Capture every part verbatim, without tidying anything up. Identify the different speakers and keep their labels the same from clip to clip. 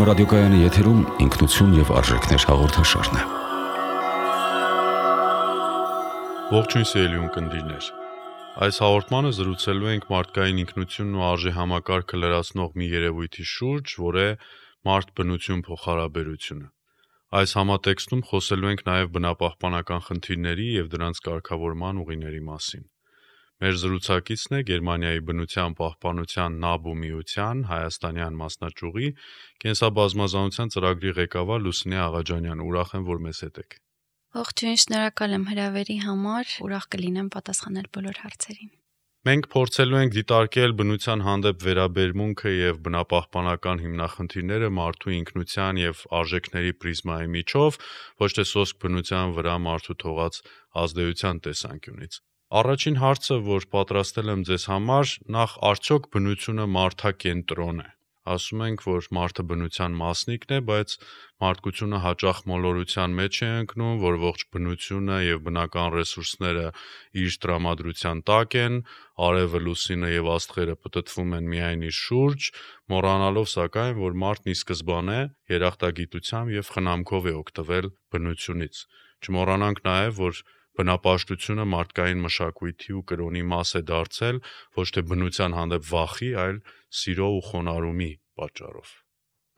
Speaker 1: Երգորիա ռադիոկայանի եթերում ինքնություն եւ արժեքներ հաղորդաշարն է։
Speaker 2: Ողջույն սիրելի ունկնդիրներ։ Այս հաղորդմանը զրուցելու ենք մարդկային ինքնությունն ու արժեհամակարգը լրացնող մի երևույթի շուրջ, որ է մարդ-բնություն փոխհարաբերությունը։ Այս համատեքստում խոսելու ենք նաև բնապահպանական խնդիրների եւ դրանց կարգավորման ուղիների մասին։ Մեր զրուցակիցն է Գերմանիայի բնության պահպանության ՆԱԲՈ միության հայաստանյան մասնաճյուղի կենսաբազմազանության ծրագրի ղեկավար Լուսինե Աղաջանյանը։ Ուրախ եմ, որ մեզ հետ եք։
Speaker 3: Ողջույն, շնորհակալ եմ հրավերի համար, ուրախ կլինեմ պատասխանել բոլոր հարցերին։
Speaker 2: Մենք փորձելու ենք դիտարկել բնության հանդեպ վերաբերմունքը եւ բնապահպանական հիմնախնդիրները մարդու ինքնության եւ արժեքների պրիզմայի միջով, ոչ թե սոսկ բնության վրա մարդու թողած ազդեցության տեսանկյունից։ Առաջին հարցը, որ պատրաստել եմ ձեզ համար, նախ արդյոք բնությունը մարդակենտրոն է։ Ասում ենք, որ մարդը բնության մասնիկն է, բայց մարդկությունը հաճախ մոլորության մեջ է ընկնում, որ ողջ բնությունը եւ բնական ռեսուրսները իր տրամադրության տակ են, արևը, լուսինը եւ աստղերը պտտվում են միայն իր շուրջ, մոռանալով սակայն, որ մարդն ի սկզբանե երախտագիտությամբ եւ խնամքով է օգտվել բնությունից։ Չմոռանանք նաեւ, որ բնապաշտությունը մարդկային մշակույթի ու կրոնի մաս է դարձել ոչ թե բնության հանդեպ վախի, այլ սիրո ու խոնարհումի պատճառով։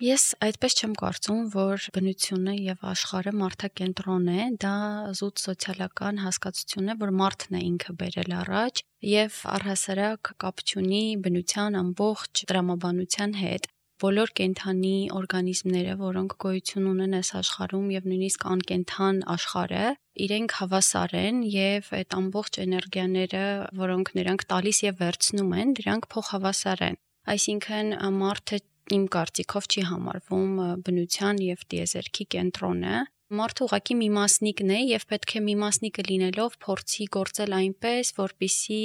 Speaker 3: Ես այդպես չեմ կարծում, որ բնությունը եւ աշխարհը մարդակենտրոն է, դա զուտ սոցիալական հասկացություն է, որ մարդն է ինքը բերել առաջ եւ առհասարակ կապ չունի բնության ամբողջ տրամաբանության հետ։ Բոլոր կենդանի օրգանիզմները, որոնք գոյություն ունեն այս աշխարհում եւ նույնիսկ անկենդան աշխարհը, իրենք հավասար են եւ այդ ամբողջ էներգիաները, որոնք նրանք տալիս եւ վերցնում են, դրանք փոխհավասար են։ Այսինքն մարդը իմ կարծիքով չի համարվում բնության եւ տիեզերքի կենտրոնը։ Մարդը ուղղակի մի մասնիկն է եւ պետք է մի մասնիկը լինելով փորձի գործել այնպես, որպիսի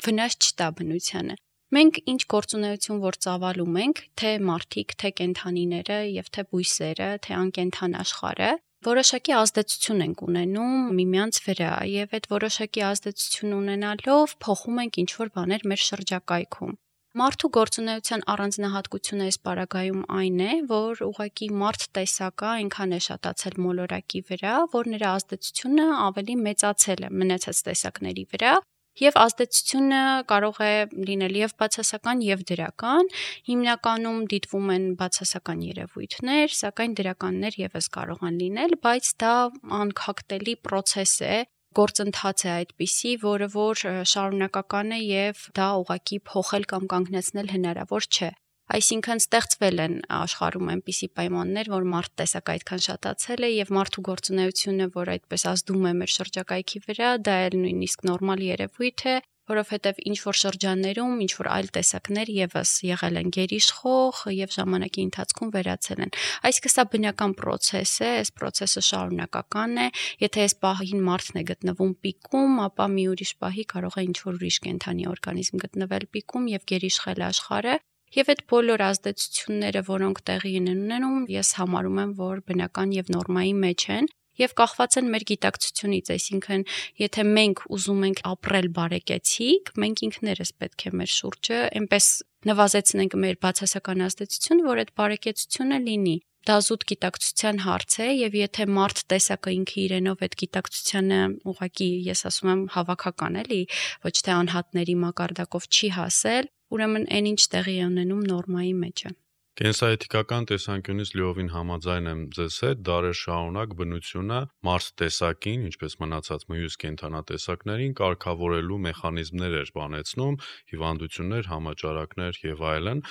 Speaker 3: վնաս չտա բնությանը։ Մենք ինչ գործունեություն որ ծավալում ենք, թե մարդիկ, թե կենդանիները եւ թե բույսերը, թե անկենդան աշխարհը, որոշակի ազդեցություն ենք ունենում միմյանց վրա եւ այդ որոշակի ազդեցություն ունենալով փոխում ենք ինչ-որ բաներ մեր շրջակայքում։ Մարդու գործունեության առանձնահատկությունը այս պարագայում այն է, որ ուղղակի մարդ տեսակը այնքան է շատացել մոլորակի վրա, որ նրա ազդեցությունը ավելի մեծացել է մնացած տեսակների վրա։ Եվ ազդեցությունը կարող է լինել եւ բացասական եւ դրական, հիմնականում դիտվում են բացասական երևույթներ, սակայն դրականներ եւս կարող են լինել, բայց դա անքակտելի process է, գործընթաց է այդպիսի, որը որ շարունակական է եւ դա ուղղակի փոխել կամ կանգնեցնել հնարավոր չէ։ Այսինքն ստեղծվել են աշխարհում այնպիսի պայմաններ, որ մարդ տեսակ այդքան շատացել է եւ մարդու գործունեությունը, որ այդպես ազդում է մեր շրջակայքի վրա, դա էլ նույնիսկ նորմալ երևույթ է, որովհետեւ ինչ որ շրջաններում, ինչ որ այլ տեսակներ եւս եղել են գերիշխող եւ ժամանակի ընթացքում վերացել են։ Այսինքն սա բնական process է, այս process-ը շարունակական է, եթե այս պահին մարդն է գտնվում պիկում, ապա մի ուրիշ պահի կարող է ինչ որ ուրիշ կենդանի օրգանիզմ գտնվել պիկում եւ գերիշխել աշխարհը։ Եվ այդ բոլոր ազդեցությունները, որոնք տեղի են ունենում, ես համարում եմ, որ բնական եւ նորմայի մեջ են եւ կախված են մեր գիտակցությունից, այսինքն եթե մենք ուզում ենք ապրել բարեկեցիկ, մենք ինքներս պետք է մեր շուրջը այնպես նվազեցնենք մեր բացասական ազդեցությունը, որ այդ բարեկեցությունը լինի։ Դա զուտ գիտակցության հարց է եւ եթե մարդ տեսակը ինքը իրենով այդ գիտակցությանը ուղղակի ես ասում եմ հավաքական էլի, ոչ թե անհատների մակարդակով չի հասել, ուրեմն այն ինչ տեղի է ունենում նորմայի մեջ է։
Speaker 2: Կենսաէթիկական տեսանկյունից լիովին համաձայն եմ ձեզ հետ, դարեր շարունակ բնությունը մարդ տեսակին, ինչպես մնացած մյուս կենդանատեսակներին կարգավորելու մեխանիզմներ էր բանեցնում, հիվանդություններ, համաճարակներ եւ այլն։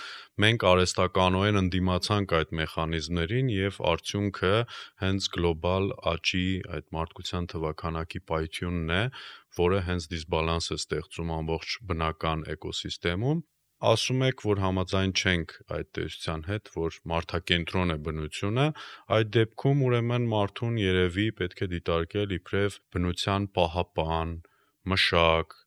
Speaker 2: Մենք արհեստականորեն ընդդիմացանք այդ մեխանիզմներին եւ արդյունքը հենց գլոբալ աճի այդ մարդկության թվաքանակի պայթյունն է, որը հենց դիսբալանս է ստեղծում ամբողջ բնական էկոսիստեմում։ Ասում եք, որ համաձայն չենք այդ տեսության հետ, որ մարդակենտրոն է բնությունը, այդ դեպքում ուրեմն մարդուն երևի պետք է դիտարկել իբրև բնության պահապան, մշակ,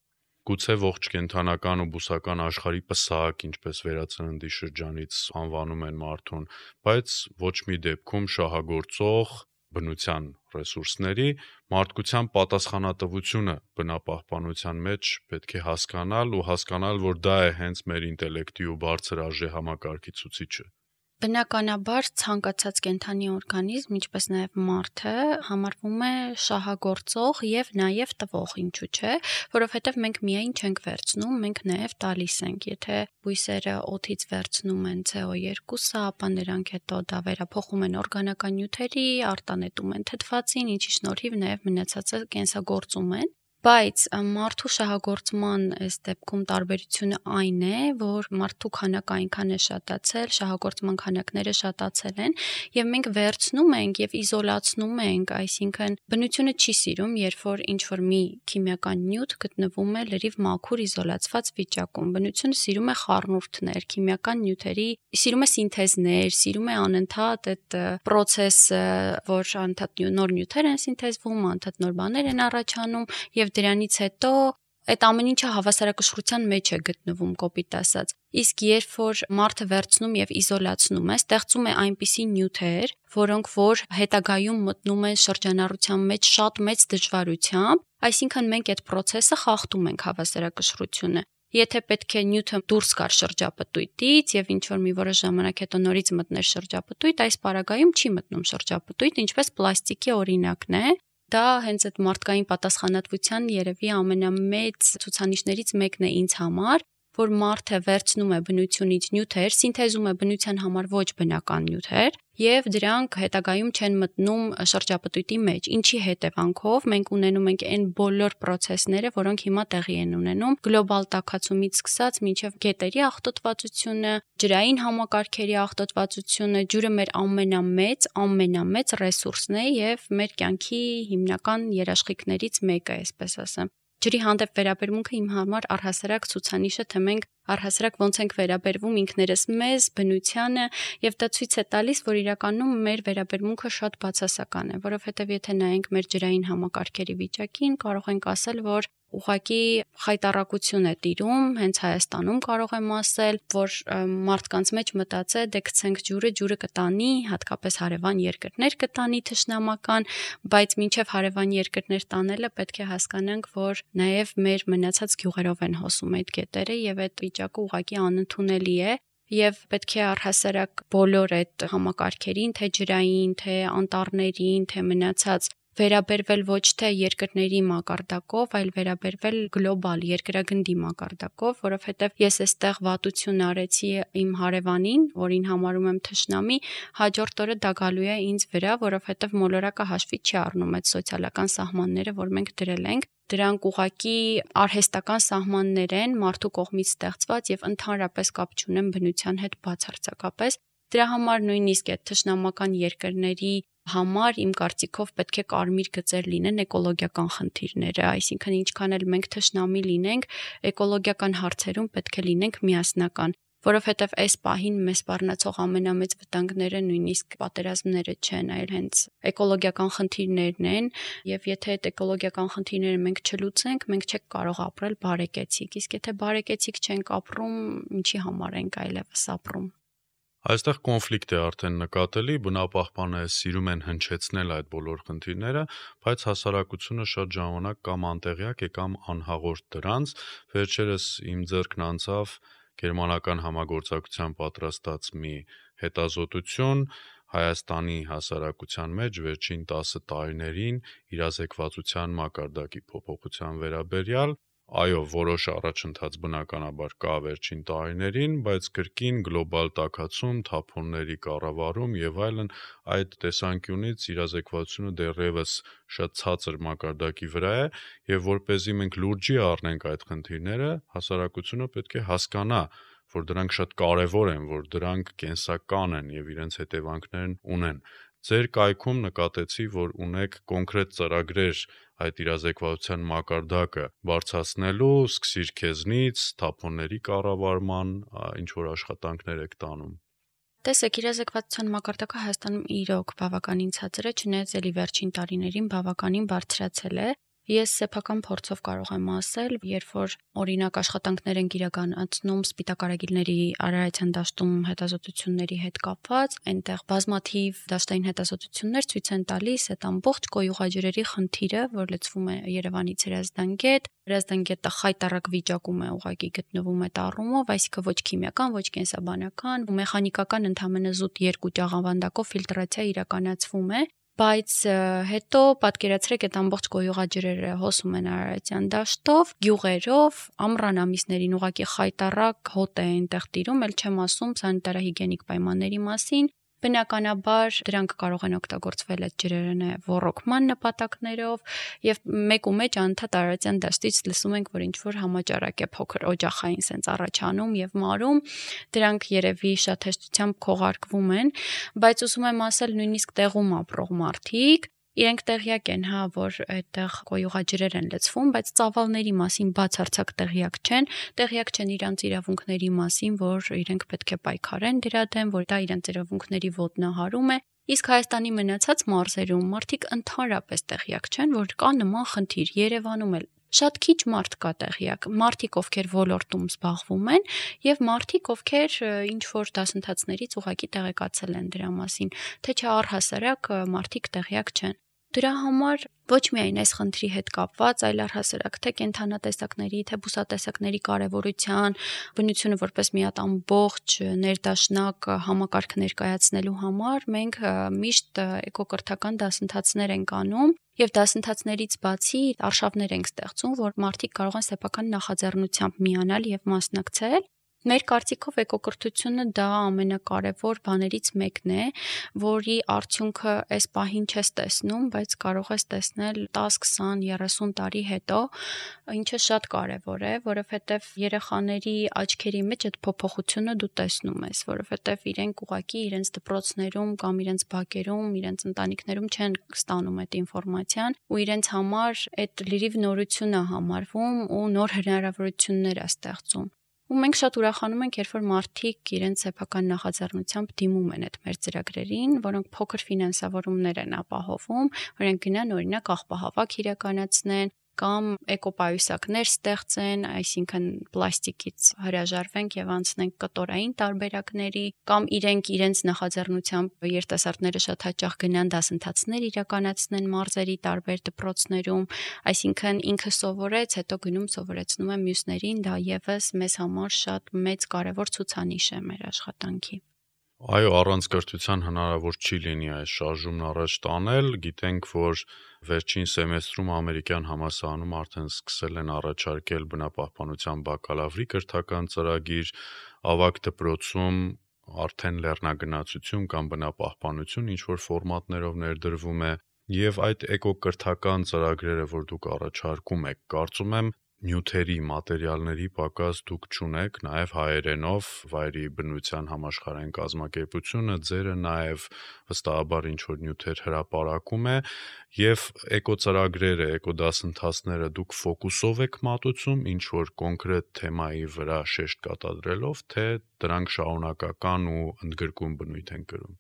Speaker 2: գուցե ողջ կենդանական ու բուսական աշխարհի պսակ, ինչպես վերածննդի շրջանից անվանում են մարդուն, բայց ոչ մի դեպքում շահագործող բնության ռեսուրսների մարդկության պատասխանատվությունը բնապահպանության մեջ պետք է հասկանալ ու հասկանալ, որ դա է հենց մեր ինտելեկտի ու բարձր արժեհամակարգի ցուցիչը։
Speaker 3: Բնականաբար ցանկացած կենդանի օրգանիզմ, ինչպես նաև մարդը, համարվում է շահագործող եւ նաև տվող, ինչու՞ չէ, որովհետեւ մենք միայն չենք վերցնում, մենք նաև տալիս ենք։ Եթե բույսերը օդից վերցնում են C O two, ապա նրանք հետո դա վերափոխում են օրգանական նյութերի, արտանետում են թթվածին, ինչի շնորհիվ նաև մնացածը կենսագործում են։ Բայց մարդու շահագործման այս դեպքում տարբերությունը այն է, որ մարդու քանակը այնքան է շատացել, շահագործման քանակները շատացել են, եւ մենք վերցնում ենք եւ իզոլացնում ենք, այսինքն բնությունը չի սիրում, երբ որ ինչ-որ մի քիմիական նյութ գտնվում է լրիվ մաքուր իզոլացված վիճակում։ Բնությունը սիրում է խառնուրդներ, քիմիական նյութերի, սիրում է սինթեզներ, սիրում է անընդհատ այդ process-ը, որ անընդհատ նոր նյութեր են սինթեզվում, անընդհատ նոր բաներ են առաջանում եւ դրանից հետո այդ ամեն ինչը հավասարակշռության մեջ է գտնվում, կոպիտ ասած։ Իսկ երբ որ մարդը վերցնում եւ իզոլացնում է, ստեղծում է այնպիսի նյութեր, որոնք որ հետագայում մտնում են շրջանառության մեջ շատ մեծ դժվարությամբ, այսինքն մենք այդ process-ը խախտում ենք հավասարակշռությունը։ Եթե պետք է նյութը դուրս գար շրջապտույտից եւ ինչ որ մի որոշ ժամանակ հետո նորից մտներ շրջապտույտ, այս պարագայում չի մտնում շրջապտույտ, ինչպես պլաստիկի օրինակն է։ Դա հենց այդ մարդկային պատասխանատվության երևի ամենամեծ ցուցանիշներից մեկն է ինձ համար, որ մարդը վերցնում է բնությունից նյութեր, սինթեզում է բնության համար ոչ բնական նյութեր եւ դրանք հետագայում չեն մտնում շրջապտույտի մեջ, ինչի հետևանքով մենք ունենում ենք այն բոլոր process-ները, որոնք հիմա տեղի են ունենում գլոբալ տաքացումից սկսած մինչեւ գետերի աղտոտվածությունը, ջրային համակարգերի աղտոտվածությունը, ջուրը մեր ամենամեծ, ամենամեծ ռեսուրսն է եւ մեր կյանքի հիմնական երաշխիքներից մեկը, այսպես ասեմ։ Ջրի հանդեպ վերաբերմունքը իմ համար առհասարակ ցուցանիշը, թե մենք առհասարակ ոնց ենք վերաբերվում ինքներս մեզ, բնությանը, եւ դա ցույց է տալիս, որ իրականում մեր վերաբերմունքը շատ բացասական է, որովհետեւ եթե նայենք մեր ջրային համակարգերի վիճակին, կարող ենք ասել, որ ուղղակի խայտառակություն է տիրում, հենց Հայաստանում կարող եմ ասել, որ մարդկանց մեջ մտածե, դե գցենք ջուրը, ջուրը կտանի, հատկապես հարևան երկրներ կտանի թշնամական, բայց մինչև հարևան երկրներ տանելը պետք է հասկանանք, որ նաև մեր մնացած գյուղերով են հոսում այդ գետերը եւ այդ վիճակը ուղղակի անընդունելի է։ Եվ պետք է առհասարակ բոլոր այդ համակարգերին, թե ջրային, թե անտառներին, թե մնացած վերաբերվել ոչ թե երկրների մակարդակով, այլ վերաբերվել գլոբալ երկրագնդի մակարդակով, որովհետև ես այստեղ վատություն արեցի իմ հարևանին, որին համարում եմ թշնամի, հաջորդ օրը դա գալու է ինձ վրա, որովհետև մոլորակը հաշվի չի առնում այդ սոցիալական սահմանները, որ մենք դրել ենք։ Դրանք ուղղակի արհեստական սահմաններ են, մարդու կողմից ստեղծված եւ ընդհանրապես կապ չունեն բնության հետ բացարձակապես։ Դրա համար նույնիսկ այդ թշնամական երկրների համար իմ կարծիքով պետք է կարմիր գծեր լինեն էկոլոգիական խնդիրները, այսինքն ինչքան էլ մենք թշնամի լինենք, էկոլոգիական հարցերում պետք է լինենք միասնական, որովհետև այս պահին մեզ սպառնացող ամենամեծ վտանգները նույնիսկ պատերազմները չեն, այլ հենց էկոլոգիական խնդիրներն են, եւ եթե այդ էկոլոգիական խնդիրները մենք չլուծենք, մենք չենք կարող ապրել բարեկեցիկ, իսկ եթե բարեկեցիկ չենք ապրում, ինչի համար ենք այլևս ապրում։
Speaker 2: Այստեղ կոնֆլիկտ է արդեն նկատելի, բնապահպանները սիրում են հնչեցնել այդ բոլոր խնդիրները, բայց հասարակությունը շատ ժամանակ կամ անտեղյակ է կամ անհաղորդ դրանց։ Վերջերս իմ ձեռքն անցավ գերմանական համագործակցության պատրաստած մի հետազոտություն Հայաստանի հասարակության մեջ վերջին տասը տարիներին իրազեկվածության մակարդակի փոփոխության վերաբերյալ։ Այո, որոշ առաջընթաց բնականաբար կա վերջին տարիներին, բայց կրկին գլոբալ տաքացում, թափոնների կառավարում եւ այլն այդ տեսանկյունից իրազեկվածությունը դեռևս շատ ցածր մակարդակի վրա է եւ որպեսզի մենք լուրջի առնենք այդ խնդիրները, հասարակությունը պետք է հասկանա, որ դրանք շատ կարեւոր են, որ դրանք կենսական են եւ իրենց հետևանքներն ունեն։ Ձեր կայքում նկատեցի, որ ունեք կոնկրետ ծրագրեր այդ իրազեկվածության մակարդակը բարձրացնելու, սկսիր քեզնից, թափոնների կառավարման, ինչ որ աշխատանքներ եք տանում։
Speaker 3: Տեսեք, իրազեկվածության մակարդակը Հայաստանում իրոք բավականին ցածր է, չնայած էլի վերջին տարիներին բավականին բարձրացել է, Ես սեփական փորձով կարող եմ ասել, երբ որ օրինակ աշխատանքներ են իրականացնում սպիտակարագիլների արարացիան դաշտում հետազոտությունների հետ կապված, այնտեղ բազմաթիվ դաշտային հետազոտություններ ցույց են տալիս այդ ամբողջ կոյուղաջրերի խնդիրը, որ լցվում է Երևանից Հրազդան գետ, Հրազդան գետը խայտառակ վիճակում է ուղղակի գտնվում այդ առումով, այսինքն ոչ քիմիական, ոչ կենսաբանական, մեխանիկական ընդհանրապես զուտ երկու ճաղավանդակով ֆիլտրացիա իրականացվում է, բայց հետո պատկերացրեք այդ ամբողջ կոյուղաջրերը հոսում են Արարատյան դաշտով, գյուղերով, ամռան ամիսներին ուղղակի խայտառակ հոտ է այնտեղ տիրում, ել չեմ ասում սանիտարահիգիենիկ պայմանների մասին։ Բնականաբար դրանք կարող են օգտագործվել այդ ջրերը նաև ոռոգման նպատակներով եւ մեկ ու մեջ անընդհատ Արարատյան դաշտից լսում ենք, որ ինչ որ համաճարակ է փոքր օջախային սենց առաջանում եւ մարում, դրանք երևի շատ հեշտությամբ քողարկվում են, բայց ուզում եմ ասել նույնիսկ տեղում ապրող մարդիկ իրենք տեղյակ են, հա, որ այդտեղ կոյուղաջրեր են լցվում, բայց ծավալների մասին բացարձակ տեղյակ չեն, տեղյակ չեն իրանց իրավունքների մասին, որ իրենք պետք է պայքարեն դրա դեմ, որ դա իրենց իրավունքների ոտնահարում է։ Իսկ Հայաստանի մնացած մարզերում մարդիկ ընդհանրապես տեղյակ չեն, որ կա նման խնդիր, Երևանում էլ շատ քիչ մարդ կա տեղյակ, մարդիկ ովքեր ոլորտում զբաղվում են եւ մարդիկ ովքեր ինչ որ դասընթացներից ուղղակի տեղեկացել են դրա մասին, թե չէ առհասարակ մարդիկ տեղյակ չեն։ Դրա համար ոչ միայն այս խնդրի հետ կապված, այլ առհասարակ թե կենդանատեսակների, թե բուսատեսակների կարևորության, բնությունը որպես մի հատ ամբողջ ներդաշնակ համակարգ ներկայացնելու համար մենք միշտ էկոկրթական դասընթացներ ենք անում եւ դասընթացներից բացի արշավներ ենք ստեղծում, որ մարդիկ կարող են սեփական նախաձեռնությամբ միանալ եւ մասնակցել։ Մեր կարծիքով էկոկրթությունը դա ամենակարևոր բաներից մեկն է, որի արդյունքը այս պահին չես տեսնում, բայց կարող ես տեսնել դես, քսան, երեսուն տարի հետո, ինչը շատ կարևոր է, որովհետև երեխաների աչքերի մեջ այդ փոփոխությունը դու տեսնում ես, որովհետև իրենք ուղղակի իրենց դպրոցներում կամ իրենց բակերում, իրենց ընտանիքներում չեն ստանում այդ ինֆորմացիան, ու իրենց համար այդ լրիվ նորություն է համարվում ու նոր հնարավորություններ է ստեղծում։ Ու մենք շատ ուրախանում ենք, երբ որ մարդիկ իրենց սեփական նախաձեռնությամբ դիմում են այդ մեր ծրագրերին, որոնք փոքր ֆինանսավորումներ են ապահովում, որոնք գնան օրինակ աղբահավաք իրականացնեն կամ էկոպայուսակներ ստեղծեն, այսինքն պլաստիկից հրաժարվենք եւ անցնենք կտորային տարբերակների, կամ իրենք իրենց նախաձեռնությամբ երիտասարդները շատ հաճախ գնան դասընթացներ իրականացնեն մարզերի տարբեր դպրոցներում, այսինքն ինքը սովորեց, հետո գնում սովորեցնում է մյուսներին, դա եւս մեզ համար շատ մեծ կարևոր ցուցանիշ է մեր աշխատանքի։
Speaker 2: Այո, առանց կրթության հնարավոր չի լինի այս շարժումն առաջ տանել, գիտենք, որ վերջին սեմեստրում ամերիկյան համալսարանում արդեն սկսել են առաջարկել բնապահպանության բակալավրի կրթական ծրագիր, ավագ դպրոցում արդեն լեռնագնացություն կամ բնապահպանություն ինչ որ ֆորմատներով ներդրվում է, եւ այդ էկոկրթական ծրագրերը, որ դուք առաջարկում եք, կարծում եմ նյութերի, մատերիալների պակաս դուք չունեք, նաև հայերենով վայրի բնության համաշխարհային կազմակերպությունը ձերը նաև վստահաբար ինչ որ նյութեր հրապարակում է եւ էկոծրագրերը, էկոդասընթացները դուք ֆոկուսով եք մատուցում ինչ որ կոնկրետ թեմայի վրա շեշտ կատարելով, թե դրանք շարունակական ու ընդգրկուն բնույթ են կրում։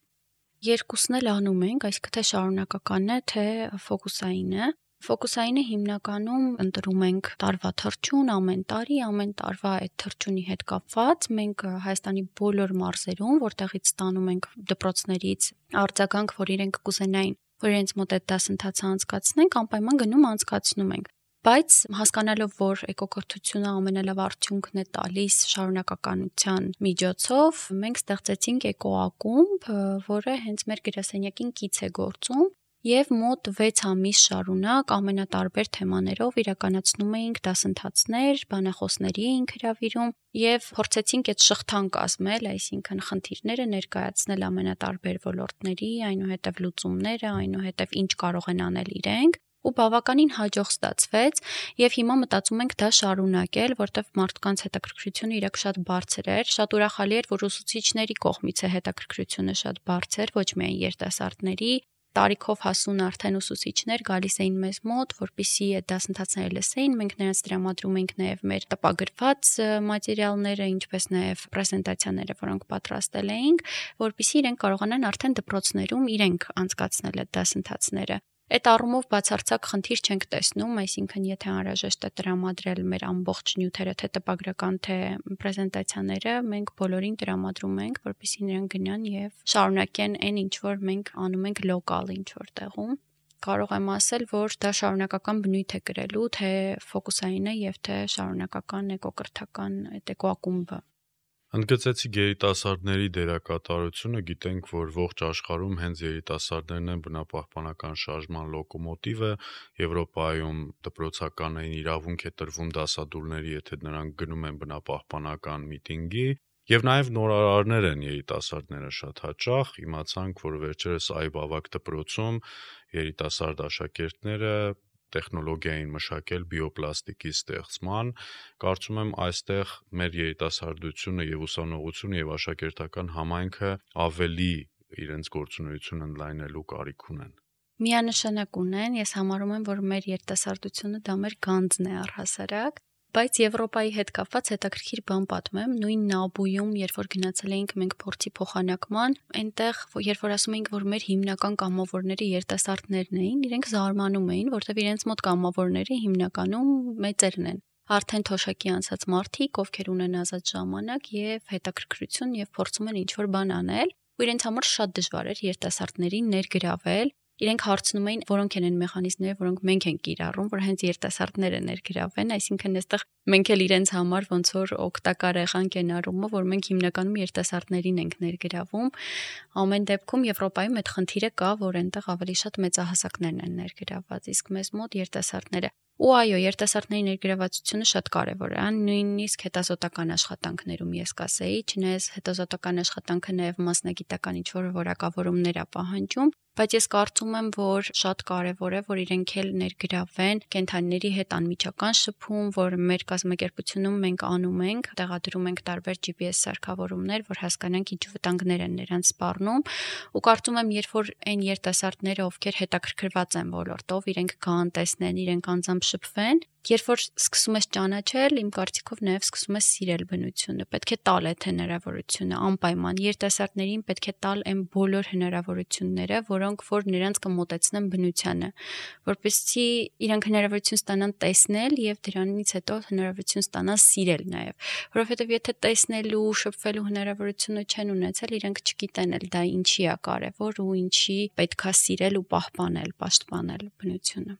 Speaker 3: Երկուսն էլ անում ենք, այսինքն թե շարունակականն է, թե ֆոկուսային է։ Ֆոկուսայինը հիմնականում ընտրում ենք տարվա թռչուն ամեն տարի, ամեն տարվա այդ թռչունի հետ կապված մենք Հայաստանի բոլոր մարզերում, որտեղից ստանում ենք դպրոցներից արձագանք, որ իրենք կուզենային, որ իրենց մոտ այդ դասընթացը անցկացնենք, անպայման գնում անցկացնում ենք։ Բայց հասկանալով, որ էկոկրթությունը ամենալավ արդյունքն է տալիս շարունակականության միջոցով, մենք ստեղծեցինք էկոակումբ, որը հենց մեր գրասենյակին կից է գործում։ Եվ մոտ վեց ամիս շարունակ ամենատարբեր թեմաներով իրականացնում էինք դասընթացներ, բանախոսների էինք հրավիրում եւ փորձեցինք այդ շղթան կազմել, այսինքն խնդիրները ներկայացնել ամենատարբեր ոլորտների, այնուհետեւ լուծումները, այնուհետեւ ինչ կարող են անել իրենք։ Ու բավականին հաջող ստացվեց եւ հիմա մտածում ենք դա շարունակել, որտեվ մարդկանց հետաքրքրությունը իրոք շատ բարձր էր, շատ ուրախալի էր, որ ուսուցիչների կողմից է հետաքրքրությունը շատ բարձր, ոչ միայն երիտասարդների, տարիքով հասուն արդեն ուսուցիչներ գալիս էին մեզ մոտ, որպեսզի այդ դասընթացները լսեին, մենք նրանց տրամադրում ենք նաև մեր տպագրված մատերիալները, ինչպես նաև պրեզենտացիաները, որոնք պատրաստել էինք, որպեսզի իրենք կարողանան արդեն դպրոցներում իրենք անցկացնել այդ դասընթացները։ Այդ առումով բացարձակ խնդիր չենք տեսնում, այսինքն եթե անհրաժեշտ է տրամադրել մեր ամբողջ նյութերը, թե տպագրական, թե պրեզենտացիաները, մենք բոլորին տրամադրում ենք, որպեսզի նրանք գնան եւ շարունակեն այն, ինչ որ մենք անում ենք լոկալ ինչ-որ տեղում։ Կարող եմ ասել, որ դա շարունակական բնույթ է կրելու, թե ֆոկուսային է եւ թե շարունակական էկոկրթական այդ էկոակումբը։
Speaker 2: Ընդգծեցիք երիտասարդների դերակատարությունը, գիտենք, որ ողջ աշխարհում հենց երիտասարդներն են բնապահպանական շարժման լոկոմոտիվը, Եվրոպայում դպրոցականային իրավունք է տրվում դասադուլների, եթե նրանք գնում են բնապահպանական միտինգի, եւ նաեւ նորարարներ են երիտասարդները շատ հաճախ, իմացանք, որ վերջերս Այբ ավագ դպրոցում երիտասարդ աշակերտները տեխնոլոգիային մշակել բիոպլաստիկի ստեղծման, կարծում եմ այստեղ մեր երիտասարդությունը եւ ուսանողությունը եւ աշակերտական համայնքը ավելի իրենց գործունեությունը ընդլայնելու կարիք ունեն։
Speaker 3: Միանշանակ ունեն, ես համարում եմ, որ մեր երիտասարդությունը դա մեր գանձն է առհասարակ, բայց Եվրոպայի հետ կապված հետաքրքիր բան պատմեմ, նույն Նաբույում, երբ որ գնացել էինք մենք փորձի փոխանակման, այնտեղ երբ որ ասում էինք, որ մեր հիմնական կամավորները երիտասարդներն էին, իրենք զարմանում էին, որտեղ իրենց մոտ կամավորները հիմնականում մեծերն են։ Արդեն թոշակի անցած մարդիկ, ովքեր ունեն ազատ ժամանակ եւ հետաքրքրություն եւ փորձում են ինչ-որ բան անել, ու իրենց համար շատ դժվար էր երիտասարդներին ներգրավել։ Իրենք հարցնում էին, որոնք են այն մեխանիզմները, որոնք մենք ենք կիրառում, որ հենց երիտասարդները ներգրավեն, այսինքն այստեղ մենք էլ իրենց համար ոնց որ օգտակար եղանք այն առումով, որ մենք հիմնականում երիտասարդներին ենք ներգրավում։ Ամեն դեպքում Եվրոպայում այդ խնդիրը կա, որ այնտեղ ավելի շատ մեծահասակներն են ներգրավված, իսկ մեզ մոտ երիտասարդները Ու այո, երիտասարդների ներգրավվածությունը շատ կարևոր է, նույնիսկ հետազոտական աշխատանքներում ես կասեի, չնայած հետազոտական աշխատանքը նաև մասնագիտական ինչ-որ որակավորումներ է պահանջում, բայց ես կարծում եմ, որ շատ կարևոր է, որ իրենք էլ ներգրավեն կենդանիների հետ անմիջական շփում, որ մեր կազմակերպությունում մենք անում ենք, տեղադրում ենք տարբեր G P S սարքավորումներ, որ հասկանանք ինչ վտանգներ են նրանց սպառնում, ու կարծում եմ, երբ որ այն երիտասարդները, ովքեր հետաքրքրված են ոլորտով, իրենք կան տեսնեն, իրենք անձամբ շփվեն, երբ որ սկսում ես ճանաչել, իմ կարծիքով նաև սկսում ես սիրել բնությունը, պետք է տալ այդ հնարավորությունը, անպայման երիտասարդներին պետք է տալ այն բոլոր հնարավորությունները, որոնք որ նրանց կմոտեցնեն բնությանը, որպեսզի իրանք հնարավորություն ստանան տեսնել եւ դրանից հետո հնարավորություն ստանան սիրել նաև, որովհետեւ եթե տեսնելու, շփվելու հնարավորությունը չեն ունեցել, իրանք չգիտեն էլ դա ինչի է կարևոր ու ինչի պետքա սիրել ու պահպանել, պաշտպանել բնությունը։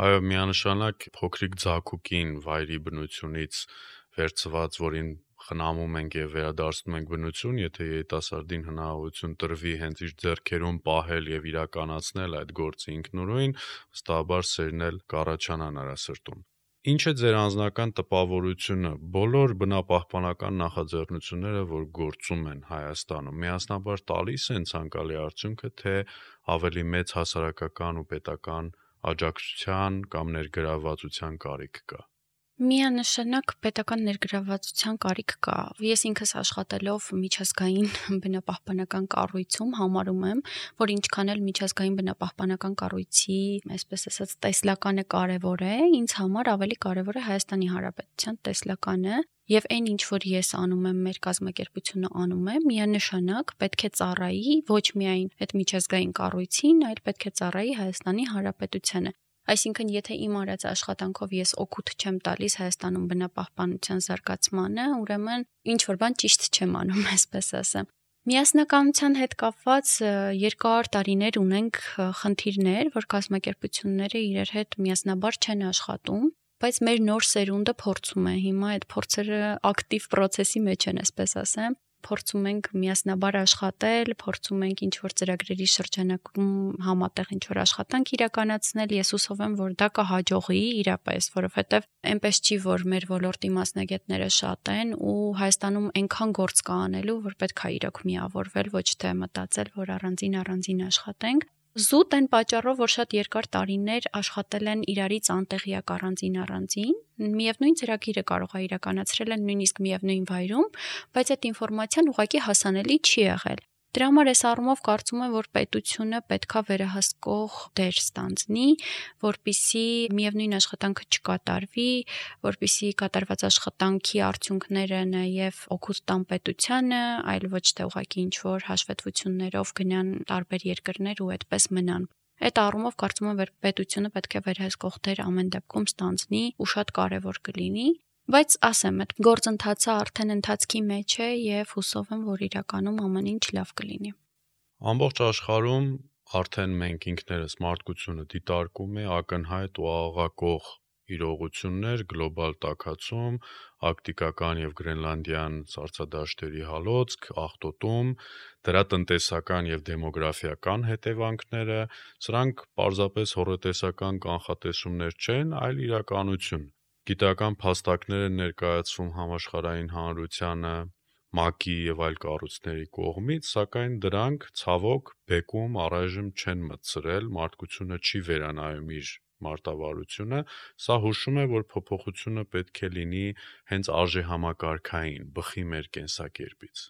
Speaker 2: Այո, միանշանակ փոքրիկ ձագուկին վայրի բնությունից վերցված, որին խնամում ենք եւ վերադարձնում ենք բնություն, եթե երիտասարդին հնարավորություն տրվի հենց իր ձեռքերում պահել եւ իրականացնել այդ գործը ինքնուրույն, վստահաբար սերն էլ կառաջանա նրա սրտում։ Ինչ է ձեր անձնական տպավորությունը բոլոր բնապահպանական նախաձեռնությունները, որ գործում են Հայաստանում, միասնաբար տալիս են ցանկալի արդյունքը, թե ավելի մեծ հասարակական ու պետական աջակցության կամ ներգրավվածության կարիք կա։
Speaker 3: Միանշանակ պետական ներգրավվածության կարիք կա։ Ես ինքս աշխատելով միջազգային բնապահպանական կառույցում համարում եմ, որ ինչքան էլ միջազգային բնապահպանական կառույցի, այսպես ասած, տեսլականը կարևոր է, ինձ համար ավելի կարևոր է Հայաստանի Հանրապետության տեսլականը, եւ այն ինչ որ ես անում եմ, մեր կազմակերպությունը անում է, միանշանակ պետք է ծառայի ոչ միայն այդ միջազգային կառույցին, այլ պետք է ծառայի Հայաստանի Հանրապետությանը։ Այսինքն, եթե իմ արած աշխատանքով ես օգուտ չեմ տալիս Հայաստանում բնապահպանության զարգացմանը, ուրեմն ինչ որ բան ճիշտ չեմ անում, այսպես ասեմ։ Միասնականության հետ կապված երկար տարիներ ունենք խնդիրներ, որ կազմակերպությունները իրար հետ միասնաբար չեն աշխատում, բայց մեր նոր սերունդը փորձում է հիմա այդ փորձերը ակտիվ process-ի մեջ են, այսպես ասեմ, փորձում ենք միասնաբար աշխատել, փորձում ենք ինչ-որ ծրագրերի շրջանակում համատեղ ինչ-որ աշխատանք իրականացնել, ես հուսով եմ, որ դա կհաջողի իրապես, որովհետև այնպես չի, որ մեր ոլորտի մասնագետները շատ են ու Հայաստանում այնքան գործ կա անելու, որ պետք է իրոք միավորվել, ոչ թե մտածել, որ առանձին առանձին աշխատենք։ Զուտ այն պատճառով, որ շատ երկար տարիներ աշխատել են իրարից անտեղյակ առանձին առանձին, միևնույն ծրագիրը կարող է իրականացրել են նույնիսկ միևնույն վայրում, բայց այդ ինֆորմացիան ուղղակի հասանելի չի եղել։ Դրա համար այս առումով կարծում եմ, որ պետությունը պետքա վերահսկող դեր ստանձնի, որպեսզի միևնույն աշխատանքը չկատարվի, որպեսզի կատարված աշխատանքի արդյունքները նաև օգուտ տան պետությանը, այլ ոչ թե ուղղակի ինչ-որ հաշվետվություններով գնան տարբեր երկրներ ու այդպես մնան։ Այդ առումով կարծում եմ, որ պետությունը պետք է վերահսկող դեր ամեն դեպքում ստանձնի ու շատ կարևոր կլինի, բայց ասեմ, այդ գործընթացը արդեն ընթացքի մեջ է եւ հուսով եմ, որ իրականում ամեն ինչ լավ կլինի։
Speaker 2: Ամբողջ աշխարհում արդեն մենք ինքներս մարդկությունը դիտարկում է ակնհայտ ու աղաղակող իրողություններ գլոբալ տաքացում, արկտիկական եւ գրենլանդյան սառցադաշտերի հալոցք, աղտոտում, դրա տնտեսական եւ դեմոգրաֆիական հետևանքները, սրանք պարզապես հոռետեսական կանխատեսումներ չեն, այլ իրականություն։ Գիտական փաստակներ են ներկայացվում համաշխարհային հանրությանը, ՄԱԿ-ի եւ այլ կառույցների կողմից, սակայն դրանք ցավոք բեկում առայժմ չեն մտցրել, մարդկությունը չի վերանայում իր մարտավարությունը, սա հուշում է, որ փոփոխությունը պետք է լինի հենց արժեհամակարգային, բխի մեր կենսակերպից։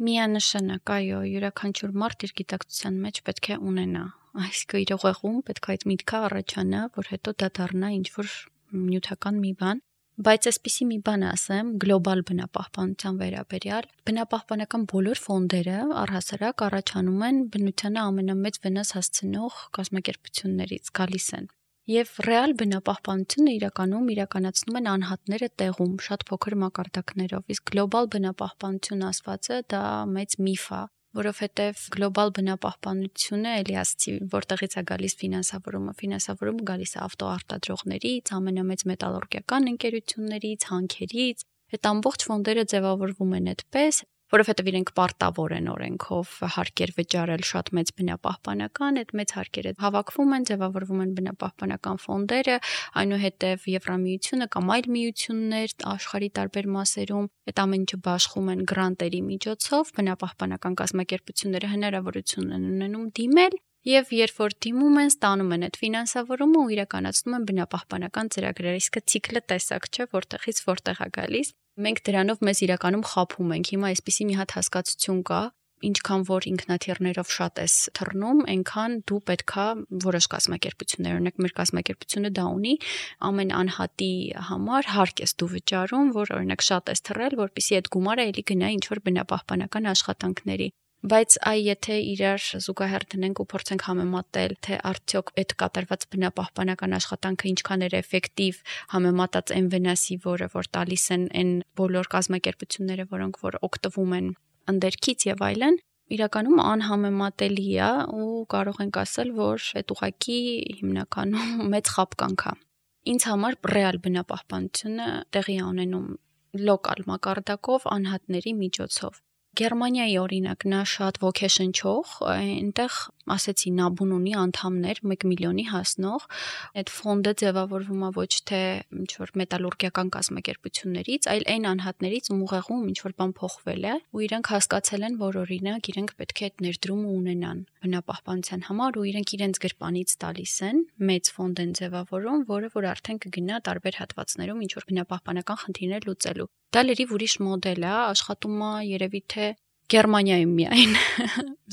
Speaker 3: Միանշանակ, այո, յուրաքանչյուր մարդ իր գիտակցության մեջ պետք է ունենա, այսինքն իր ուղեղում պետք է այդ միտքը առաջանա, որ հետո դա դառնա ինչ-որ նյութական մի բան, բայց այսպիսի մի բան ասեմ, գլոբալ բնապահպանության վերաբերյալ, բնապահպանական բոլոր ֆոնդերը առհասարակ առաջանում են բնությանը ամենամեծ վնաս հասցնող կազմակերպություններից, գալիս են։ Եվ ռեալ բնապահպանությունը իրականում իրականացնում են անհատները տեղում, շատ փոքր մակարդակներով, իսկ գլոբալ բնապահպանություն ասվածը դա մեծ միֆ է, որովհետև գլոբալ բնապահպանությունը էլի ասացի, որտեղից է գալիս ֆինանսավորումը, ֆինանսավորումը գալիս է ավտոարտադրողներից, ամենամեծ մետալուրգիական ընկերություններից, հանքերից, այդ ամբողջ ֆոնդերը ձևավորվում են այդպես, որովհետև իրենք պարտավոր են օրենքով հարկեր վճարել շատ մեծ բնապահպանական, այդ մեծ հարկերը հավաքվում են, ձևավորվում են բնապահպանական ֆոնդերը, այնուհետև Եվրամիությունը կամ այլ միություններ աշխարհի տարբեր մասերում այդ ամեն ինչը բաշխում են գրանտերի միջոցով, բնապահպանական կազմակերպությունները հնարավորություն են ունենում դիմել եւ երբ որ դիմում են, ստանում են այդ ֆինանսավորումը ու իրականացնում են բնապահպանական ծրագրեր, իսկ ցիկլը տեսակ չէ, որտեղից որտեղ է գալիս։ Մենք դրանով մեզ իրականում խաբում ենք։ Հիմա այսպիսի մի հատ հասկացություն կա, ինչքան որ ինքնաթիռներով շատ ես թռնում, այնքան դու պետքա որոշ կազմակերպություններ, օրինակ մեր կազմակերպությունը դա ունի, ամեն անհատի համար հարկ ես դու վճարում, որ օրինակ շատ ես թռել, որպեսզի այդ գումարը էլի գնա ինչ-որ բնապահպանական աշխատանքների։ Բայց այ եթե իրար զուգահեռ դնենք ու փորձենք համեմատել, թե արդյոք այդ կատարված բնապահպանական աշխատանքը ինչքան էր էֆեկտիվ համեմատած այն վնասի, որը որ տալիս են այն բոլոր կազմակերպությունները, որոնք որ օգտվում են ընդերքից եւ այլն, իրականում անհամեմատելի է ու կարող ենք ասել, որ այդ ուղղակի հիմնականում մեծ խաբկանք է։ Ինձ համար ռեալ բնապահպանությունը տեղի է ունենում լոկալ մակարդակով անհատների միջոցով։ Գերմանիայի օրինակ նա շատ ոգեշնչող, այնտեղ ասեցի նաբուն ունի անդամներ մեկ միլիոնի հասնող, այդ ֆոնդը ձևավորվում է ոչ թե ինչ-որ մետալուրգիական կազմակերպություններից, այլ այն անհատներից, ում ուղեղում ինչ-որ բան փոխվել է, ու իրենք հասկացել են, որ օրինակ իրենք պետք է այդ ներդրումը ունենան բնապահպանության համար ու իրենք իրենց գրպանից տալիս են, մեծ ֆոնդ են ձևավորում, որը որ արդեն կգնա տարբեր հատվածներում ինչ-որ բնապահպանական խնդիրներ լուծելու։ Դա լրիվ ուրիշ մոդել է, աշխատում է երևի թե Գերմանիայում միայն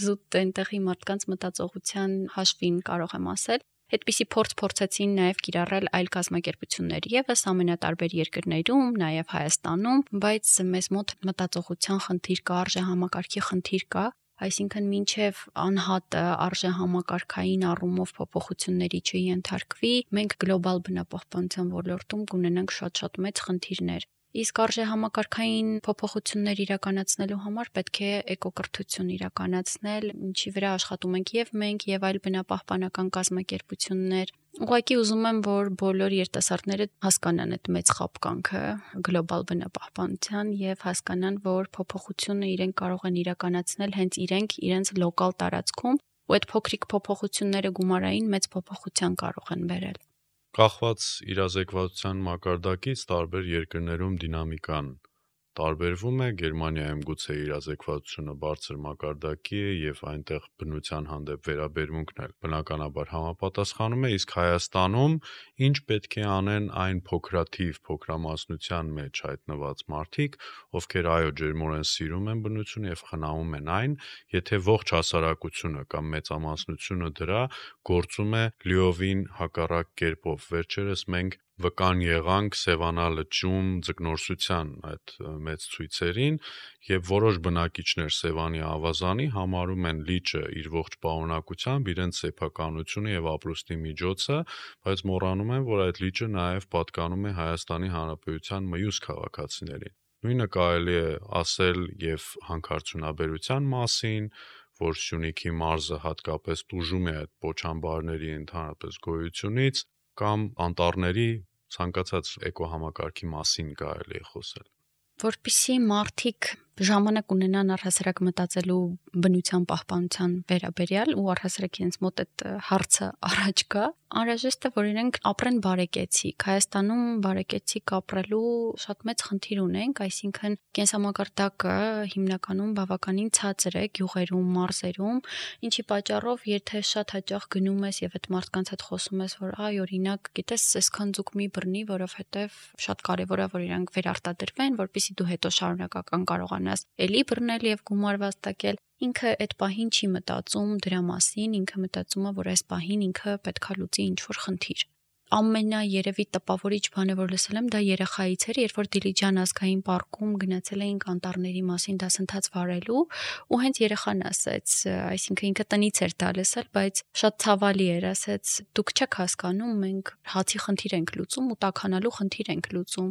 Speaker 3: զուտ այնտեղի մարդկանց մտածողության հաշվին կարող եմ ասել, այդպիսի փորձ փորձեցին նաև կիրառել այլ կազմակերպություններ եւս ամենատարբեր երկրներում, նաև Հայաստանում, բայց մեզ մոտ մտածողության խնդիր կա, արժեհամակարգի խնդիր կա, այսինքն մինչև անհատը արժեհամակարգային առումով փոփոխությունների չենթարկվի, մենք գլոբալ բնապահպանության ոլորտում կունենանք շատ-շատ մեծ խնդիրներ։ Իսկ արժեհամակարգային փոփոխություններ իրականացնելու համար պետք է էկոկրթություն իրականացնել, ինչի վրա աշխատում ենք եւ մենք, եւ այլ բնապահպանական կազմակերպություններ։ Ուղղակի ուզում եմ, որ բոլոր երիտասարդները հասկանան այդ մեծ խաբկանքը գլոբալ բնապահպանության եւ հասկանան, որ փոփոխությունը իրենք կարող են իրականացնել հենց իրենք իրենց լոկալ տարածքում, ու այդ փոքրիկ փոփոխությունները գումարային մեծ փոփոխության կարող են բերել։
Speaker 2: Կախված իրազեկվածության մակարդակից տարբեր երկրներում դինամիկան տարբերվում է, Գերմանիայում գուցե իրազեկվածությունը բարձր մակարդակի է եւ այնտեղ բնության հանդեպ վերաբերմունքն էլ բնականաբար համապատասխանում է, իսկ Հայաստանում ինչ պետք է անեն այն փոքրաթիվ փոքրամասնության մեջ հայտնված մարդիկ, ովքեր այո ջերմորեն սիրում են բնությունը եւ խնամում են այն, եթե ողջ հասարակությունը կամ մեծամասնությունը դրա գործում է լիովին հակառակ կերպով։ Վերջերս մենք վկան եղանք Սևանա լճում ձկնորսության այդ մեծ ցույցերին եւ որոշ բնակիչներ Սևանի ավազանի համարում են լիճը իր ողջ պարունակությամբ իրենց սեփականությունը եւ ապրուստի միջոցը, բայց մոռանում են, որ այդ լիճը նաեւ պատկանում է Հայաստանի Հանրապետության մյուս քաղաքացիներին։ Նույնը կարելի է ասել եւ հանքարդյունաբերության մասին, որ Սյունիքի մարզը հատկապես տուժում է այդ պոչամբարների ընդհանրապես գոյությունից, կամ անտառների ցանկացած էկոհամակարգի մասին կարելի է խոսել։
Speaker 3: Որպեսզի մարդիկ ժամանակ ունենան առհասարակ մտածելու բնության պահպանության վերաբերյալ ու առհասարակ իրենց մոտ այդ հարցը առաջ գա, անհրաժեշտ է, որ իրենք ապրեն բարեկեցիկ։ Հայաստանում բարեկեցիկ ապրելու շատ մեծ խնդիր ունենք, այսինքն կենսամակարդակը հիմնականում բավականին ցածր է գյուղերում, մարզերում, ինչի պատճառով եթե շատ հաճախ գնում ես եւ այդ մարդկանց հետ խոսում ես, որ այ օրինակ, գիտես, այսքան ձուկ մի բռնի, որովհետեւ շատ կարեւոր է, որ իրանք վերարտադրվեն, որպեսզի դու հետո շարունակական կարողանաս էլի բռնել եւ գումար վաստակել, ինքը այդ պահին չի մտածում դրա մասին, ինքը մտածում է, որ այս պահին ինքը պետքա լուծի ինչ-որ խնդիր։ Ամենաերևի տպավորիչ բանը, որ լսել եմ, դա երեխայից էր, երբ որ Դիլիջան ազգային պարկում գնացել էինք անտառների մասին դասընթաց վարելու, ու հենց երեխան ասեց, այսինքն ինքը տնից էր դա լսել, բայց շատ ցավալի էր, ասեց, դուք չեք հասկանում, մենք հացի խնդիր ենք լուծում ու տաքանալու խնդիր ենք լուծում։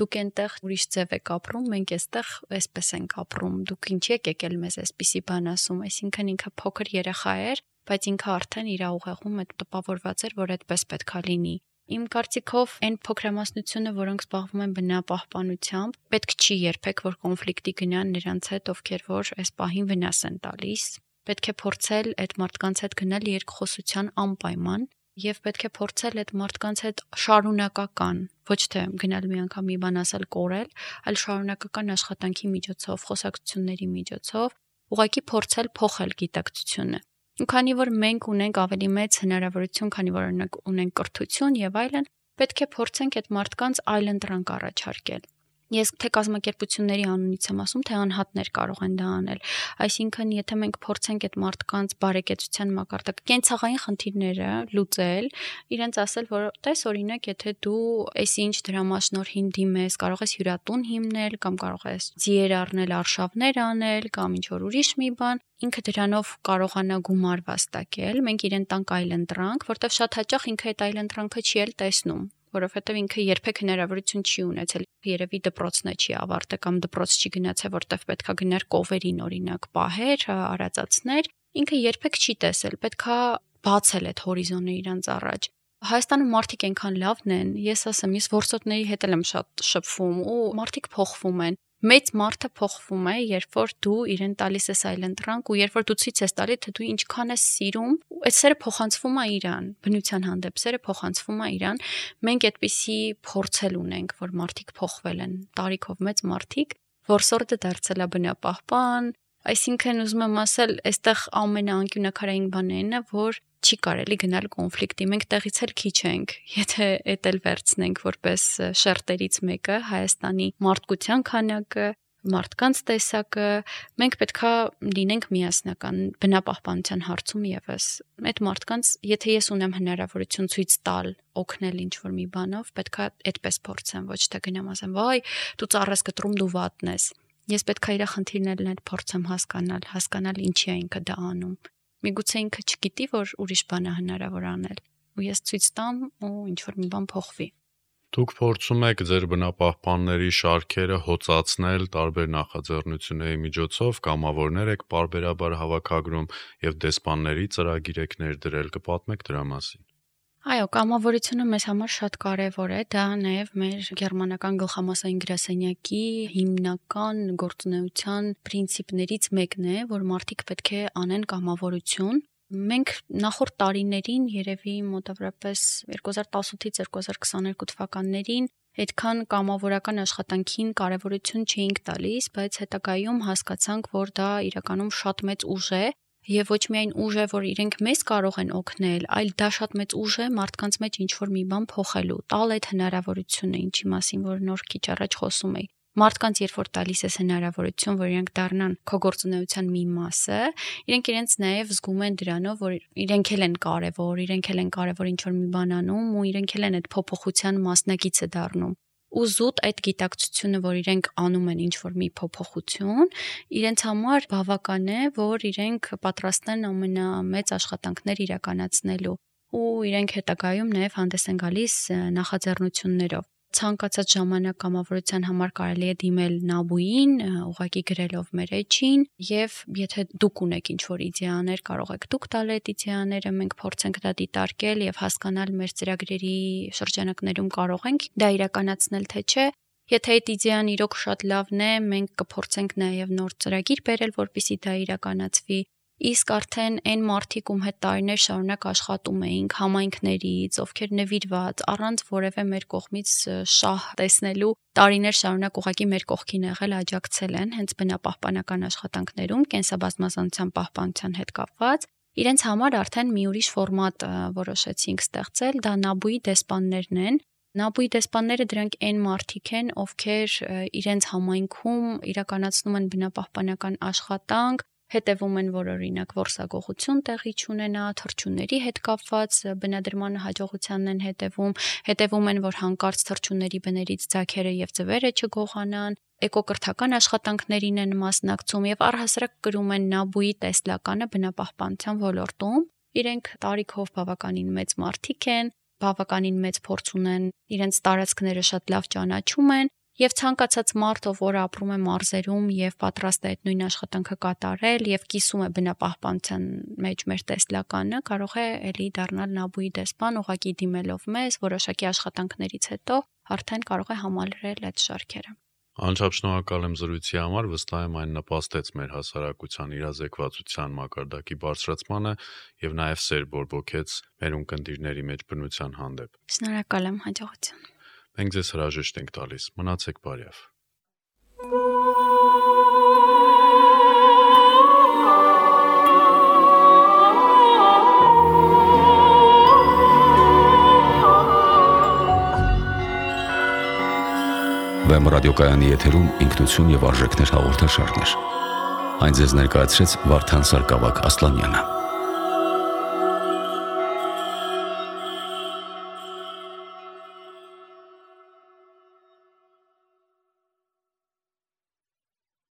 Speaker 3: Դուք այնտեղ ուրիշ ձև եք ապրում, մենք այստեղ այսպես ենք ապրում։ Դուք ինչի եք եկել մեզ այսպիսի բան ասում, այսինքն ինքը փոքր երեխա էր, բայց ինքը արդեն իր ուղեղում այդ տպավորված էր, որ այդպես պետքա լինի։ Իմ կարծիքով այն փոքրամասնությունը, որոնք զբաղվում են բնապահպանությամբ, պետք չի երբեք, որ կոնֆլիկտի գնան նրանց հետ, ովքեր որ այս պահին վնաս են տալիս։ Պետք է փորձել այդ մարդկանց հետ գնալ երկխոսության անպայման եւ պետք է փորձել այդ մարդկանց հետ շարունակական, ոչ թե գնալ մի անգամ մի բան ասել կորել, այլ շարունակական աշխատանքի միջոցով, խոսակցությունների միջոցով, ուղղակի փորձել փոխել գիտակցությունը։ Ու քանի որ մենք ունենք ավելի մեծ հնարավորություն, քանի որ օրինակ ունենք կրթություն եւ այլն, պետք է փորձենք այդ մարդկանց այլընտրանք առաջարկել։ Ես թե կազմակերպությունների անունից եմ ասում, թե անհատներ կարող են դա անել։ Այսինքն, եթե մենք փորձենք այդ մարդկանց բարեկեցության մակարդակը, կենցաղային խնդիրները լուծել, իրենց ասել, որ տես օրինակ, եթե դու այսինչ դրամաշնորհին դիմես, կարող ես հյուրատուն հիմնել, կամ կարող ես ձիեր առնել, արշավներ անել, կամ ինչ որ ուրիշ մի բան, ինքը դրանով կարողանա գումար վաստակել, մենք իրեն տանք այլընտրանք, որտեղ շատ հաճախ ինքը այդ այլընտրանքը չի էլ տեսնում, որովհետև ինքը երբեք հնարավորություն չի ունեցել, երևի դպրոցն է չի ավարտել կամ դպրոց չի գնացել, որտեղ պետքա գնար կովերին օրինակ պահեր, արածացներ, ինքը երբեք չի տեսել, պետքա բացել այդ հորիզոնը իրանց առաջ։ Հայաստանում մարդիկ այնքան լավն են, ես ասեմ, ես որսորդների հետ եմ շատ շփվում ու մարդիկ փոխվում են։ Մեծ մարդը փոխվում է, երբ որ դու իրեն տալիս ես այլընտրանք ու երբ որ դու ցույց ես տալիս, թե դու ինչքան ես սիրում, այդ սերը փոխանցվում է իրան, բնության հանդեպ սերը փոխանցվում է իրան։ Մենք այդպիսի փորձել ունենք, որ մարդիկ փոխվել են, տարիքով մեծ մարդիկ, որսորդը դարձել է բնապահպան, այսինքն ուզում եմ ասել, այստեղ ամենաանկյունակարային բանն է, որ չի կարելի գնալ կոնֆլիկտի, մենք տեղից էլ քիչ ենք, եթե էդ էլ վերցնենք որպես շերտերից մեկը, Հայաստանի մարդկության քանակը, մարդկանց տեսակը, մենք պետքա լինենք միասնական բնապահպանության հարցում եւս։ Այդ մարդկանց, եթե ես ունեմ հնարավորություն ցույց տալ, օգնել ինչ-որ մի բանով, պետքա այդպես փորձեմ, ոչ թե գնամ ասեմ, վայ, դու ծառես կտրում, դու վատն ես։ Ես պետքա իր խնդիրներն էլ փորձեմ հասկանալ, հասկանալ ինչի է ինքը դա անում։ Միգուցե ինքը չգիտի, որ ուրիշ բան է հնարավոր անել, ու ես ցույց տամ ու ինչ-որ մի բան փոխվի։
Speaker 2: Դուք փորձում եք ձեր բնապահպանների շարքերը հոծացնել տարբեր նախաձեռնությունների միջոցով, կամավորներ եք պարբերաբար հավաքագրում եւ դեսպանների ծրագիր եք ներդրել, կպատմեք դրա մասին։
Speaker 3: Այո, կամավորությունը մեզ համար շատ կարևոր է, դա նաև մեր գերմանական գլխամասային գրասենյակի հիմնական գործունեության պրինցիպներից մեկն է, որ մարդիկ պետք է անեն կամավորություն։ Մենք նախորդ տարիներին, երևի մոտավորապես երկու հազար տասնութից երկու հազար քսաներկու թվականներին այդքան կամավորական աշխատանքին կարևորություն չէինք տալիս, բայց հետագայում հասկացանք, որ դա իրականում շատ մեծ ուժ է եւ ոչ միայն ուժ է, որ իրենք մեզ կարող են օգնել, այլ դա շատ մեծ ուժ է մարդկանց մեջ ինչ-որ մի բան փոխելու, տալ այդ հնարավորությունը, ինչի մասին որ նոր քիչ առաջ խոսում էի։ Մարդկանց երբ որ տալիս ես հնարավորություն, որ իրենք դառնան քո գործունեության մի մասը, իրենք իրենց նաև զգում են դրանով, որ իրենք էլ են կարևոր, իրենք էլ են կարևոր ինչ-որ մի բան անում ու իրենք էլ են այդ փոփոխության մասնակիցը դառնում։ Ու զուտ այդ գիտակցությունը, որ իրենք անում են ինչ-որ մի փոփոխություն, իրենց համար բավական է, որ իրենք պատրաստ են ամենամեծ աշխատանքներ իրականացնելու ու իրենք հետագայում նաև հանդես են գալիս նախաձեռնություններով։ Ցանկացած ժամանակ կամավորության համար կարելի է դիմել Նաբուին, ուղղակի գրելով մեր էջին, եւ եթե դուք ունեք ինչ-որ իդեաներ, կարող եք դուք տալ այդ իդեաները, մենք փորձենք դա դիտարկել եւ հասկանալ մեր ծրագրերի շրջանակներում կարող ենք դա իրականացնել թե չէ։ Եթե այդ իդեան իրոք շատ լավն է, մենք կփորձենք նաեւ նոր ծրագիր բերել, որպեսզի դա իրականացվի։ Իսկ արդեն այն մարդիկ, ում հետ տարիներ շարունակ աշխատում էինք, համայնքներից, ովքեր նվիրված, առանց որևէ մեր կողմից շահ տեսնելու, տարիներ շարունակ ուղղակի մեր կողքին եղել, աջակցել են հենց բնապահպանական աշխատանքներում, կենսաբազմազանության պահպանության հետ կապված, իրենց համար արդեն մի ուրիշ ֆորմատ որոշեցինք ստեղծել, դա Նաբուի դեսպաններն են։ Նաբուի դեսպանները դրանք այն մարդիկ են, ովքեր իրենց համայնքում իրականացնում են բնապահպանական աշխատանք, հետևում են, որ օրինակ որսագողություն տեղի չունենա, թռչունների հետ կապված բնադրման հաջողությանն են հետևում, հետևում են, որ հանկարծ թռչունների բներից ձագերը եւ ձվերը չգողանան, էկոկրթական աշխատանքներին են մասնակցում եւ առհասարակ կրում են Նաբուի տեսլականը բնապահպանության ոլորտում։ Իրենք տարիքով բավականին մեծ մարդիկ են, բավականին մեծ փորձ ունեն, իրենց տարածքները շատ լավ ճանաչում են։ Եվ ցանկացած մարդ, ով որ ապրում է մարզերում եւ պատրաստ է այդ նույն աշխատանքը կատարել եւ կիսում է բնապահպանության մեջ մեր տեսլականը, կարող է ելի դառնալ Նաբուի դեսպան, ուղղակի դիմելով մեզ, որոշակի աշխատանքներից հետո արդեն կարող է համալրել այդ շարքերը։
Speaker 2: Անչափ շնորհակալ եմ զրույցի համար, վստահ եմ այն նպաստեց մեր հասարակության իրազեկվածության մակարդակի բարձրացմանը եւ նաեւ սեր բորբոքեց մեր ունկնդիրների մեջ բնության հանդեպ։
Speaker 3: Շնորհակալ եմ, հաջողություն։
Speaker 2: Մենք ձեզ հրաժեշտ ենք տալիս։ Մնացեք բարյավ։
Speaker 1: Վեմ ռադիոկայանի եթերում ինքնություն եւ արժեքներ հաղորդաշարներ։ Այն ձեզ ներկայացրեց Վարդան Սարգսակ Ասլանյանը։